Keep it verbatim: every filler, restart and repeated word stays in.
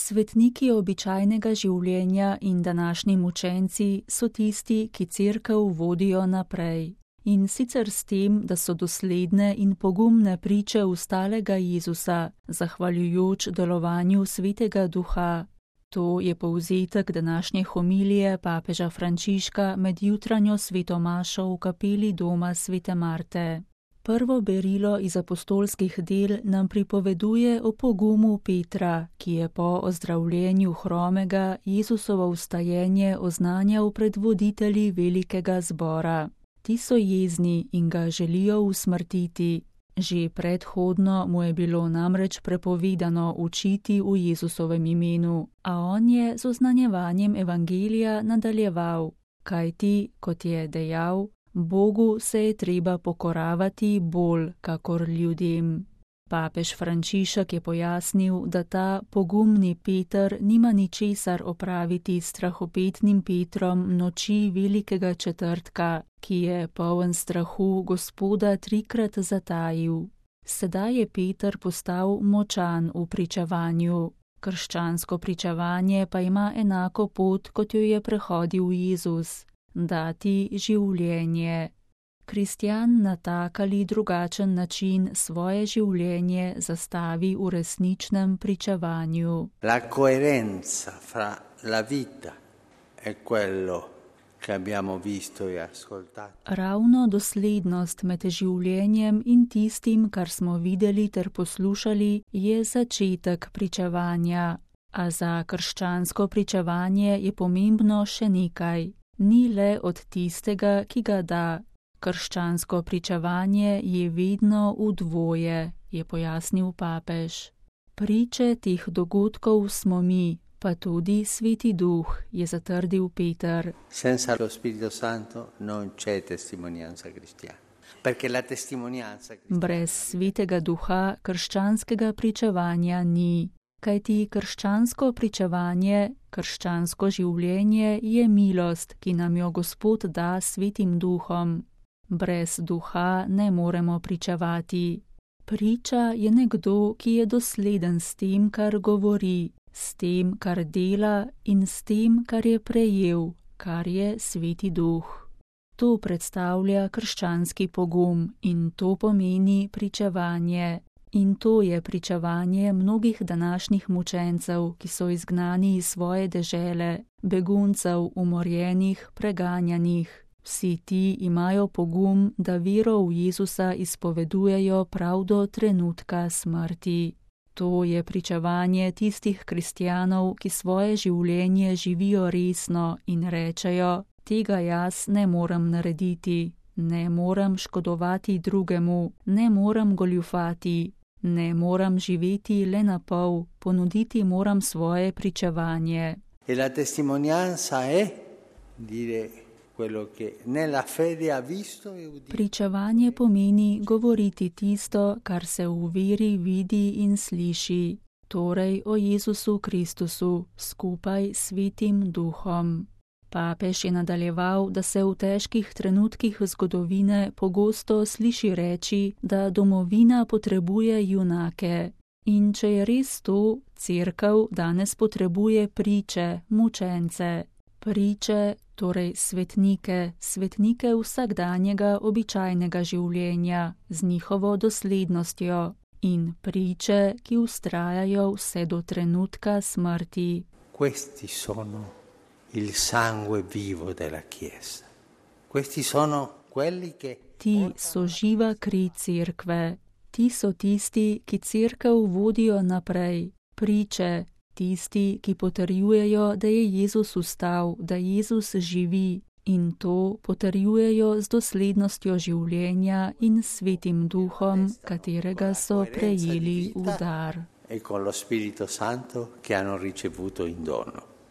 Svetniki običajnega življenja in današnji mučenci so tisti, ki cerkev vodijo naprej. In sicer s tem, da so dosledne in pogumne priče ustalega Jezusa, zahvaljujoč delovanju Svetega Duha. To je povzetek današnje homilije papeža Frančiška med jutranjo sveto mašo v kapeli doma svete Marte. Prvo berilo iz apostolskih del nam pripoveduje o pogumu Petra, ki je po ozdravljenju hromega Jezusovo vstajenje oznanjal pred voditelji velikega zbora. Ti so jezni in ga želijo usmrtiti. Že predhodno mu je bilo namreč prepovedano učiti v Jezusovem imenu, a on je z oznanjevanjem evangelija nadaljeval, kajti, kot je dejal, Bogu se je treba pokoravati bolj kakor ljudem. Papež Frančišek je pojasnil, da ta pogumni Peter nima ničesar opraviti s strahopetnim Petrom noči velikega četrtka, ki je poln strahu Gospoda trikrat zatajil. Sedaj je Peter postal močan v pričevanju. Krščansko pričevanje pa ima enako pot, kot jo je prehodil Jezus. Dati življenje. Kristjan na tak ali drugačen način svoje življenje zastavi v resničnem pričevanju. La coerenza fra la vita e quello che abbiamo visto e ascoltato. Ravno doslednost med življenjem in tistim, kar smo videli ter poslušali, je začetek pričevanja. A za krščansko pričevanje je pomembno še nekaj. Ni le od tistega, ki ga da. Krščansko pričevanje je vedno v dvoje, je pojasnil papež. Priče teh dogodkov smo mi, pa tudi Sveti Duh, je zatrdil Peter. Senza lo Spirito Santo non c'è testimonianza cristiana. Perché la testimonianza cristiana... Brez Svetega Duha krščanskega pričevanja ni. Kajti krščansko pričevanje, krščansko življenje je milost, ki nam jo Gospod da Svetim Duhom. Brez duha ne moremo pričevati. Priča je nekdo, ki je dosleden s tem, kar govori, s tem, kar dela in s tem, kar je prejel, kar je Sveti Duh. To predstavlja krščanski pogum in to pomeni pričevanje. In to je pričevanje mnogih današnjih mučencev, ki so izgnani iz svoje dežele, beguncev, umorjenih, preganjanih. Vsi ti imajo pogum, da vero v Jezusa izpovedujejo prav do trenutka smrti. To je pričevanje tistih kristjanov, ki svoje življenje živijo resno in rečejo, tega jaz ne morem narediti, ne morem škodovati drugemu, ne morem goljufati, ne morem živeti le na pol, ponuditi moram svoje pričevanje. E la testimonianza è dire quello che nella fede ha visto e udito. Pričevanje pomeni govoriti tisto, kar se v veri vidi in sliši, torej o Jezusu Kristusu skupaj s Svetim Duhom. Papež je nadaljeval, da se v težkih trenutkih zgodovine pogosto sliši reči, da domovina potrebuje junake. In če je res to, cerkev danes potrebuje priče, mučence. Priče, torej svetnike, svetnike vsakdanjega običajnega življenja z njihovo doslednostjo in priče, ki vztrajajo vse do trenutka smrti. Questi sono il sangue vivo della Chiesa. Questi sono quelli che... Ti so živa kri cerkve. Ti so tisti, ki cerkev vodijo naprej. Priče, tisti, ki potrjujejo, da je Jezus vstal, da Jezus živi in to potrjujejo z doslednostjo življenja in Svetim Duhom, katerega so prejeli v dar. E con lo Spirito Santo che hanno ricevuto in dono.